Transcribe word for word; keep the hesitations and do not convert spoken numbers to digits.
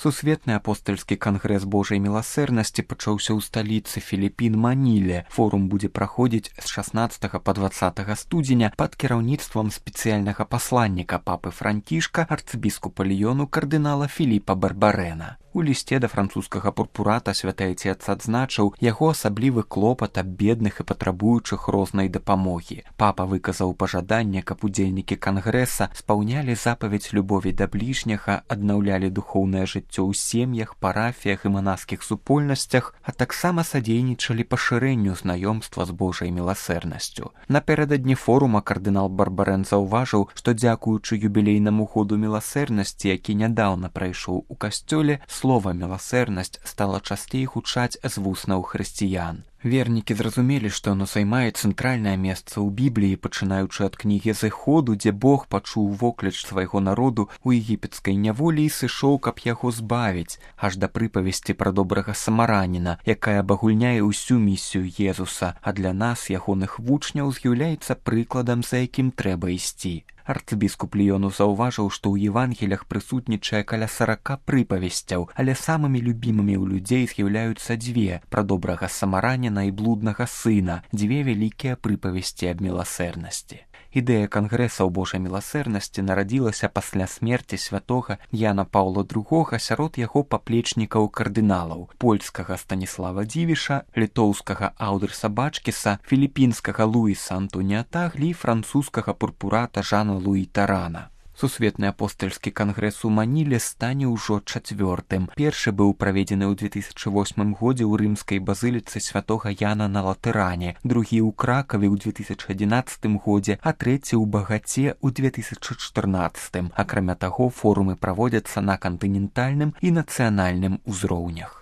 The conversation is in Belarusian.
Сусветны апостальскі кангрэс Божай міласэрнасці пачаўся ў сталіцы Філіпін Маніле. Форум будзе праходзіць з шаснаццатага па дваццатага студзеня пад кіраўніцтвам спецыяльнага пасланніка папы Францішка, арцыбіскупа Ліёну кардынала Філіпа Барбарэна. У лісце да французскага пурпурата святы Отец адзначыў яго асаблівы клопат аб бедных і патрабуючых рознай дапамогі. Папа выказаў пажаданне, каб удзельнікі кангрэса спаўнялі запаведь любові да бліжняга, аднаўлялі духоўнае жыццё ў сем'ях, парафіях і манаскіх супольнасцях, а таксама садзейнічалі пашырэнню знаёмства з Божай міласэрнасцю. Напярэдадні форума кардынал Барбарэн заўважыў, што дзякуючы юбілейнаму году міласэрнасці, які нядаўна прайшоў у касцёле, слова «міласэрнасць» стала часцей гучаць з вуснаў хрысціян. Вернікі зразумелі, што оно займае цэнтральнае месца ў Бібліі, пачынаючы ад кнігі Зыходу, дзе Бог пачуў вокліч свайго народу ў егіпецкай няволі і сышоў, каб яго збавіць, аж да прыпавесці пра добрага самараніна, якая абагульняе ўсю місію Езуса, а для нас, ягоных вучняў, з'яўляецца прыкладам, за якім трэба ісці. Арцыбіскуп Ліёну заўважыў, што ў Евангелях прысутнічае каля сарака прыпавесцяў, але самымі любімымі ў людзей з'яўляюцца дзве пра добрага самараніна і блуднага сына, дзве вялікія прыпавесці аб міласэрнасці. Ідэя кангрэса ў Божай міласэрнасці нарадзілася пасля смерці святога Яна Паўла другога сярод яго паплечнікаў кардыналаў польскага Станіслава Дзівіша, літоўскага Аўдырса Бачкіса, філіпінскага Луіса Антоніа Таглі і французскага пурпурата Жана Луі Тарана. Сусветны апостальскі кангрэс у Маніле стане ўжо чацвёртым. Першы быў праведзены ў две тысячы восьмым годзе ў рымскай базыліцы святога Яна на Латыране, другі ў Кракаве ў две тысячы адзінаццатым годзе, а трэці ў Багаце ў две тысячы чатырнаццатым. Акрамя таго, форумы праводзяцца на кантынентальным і нацыянальным узроўнях.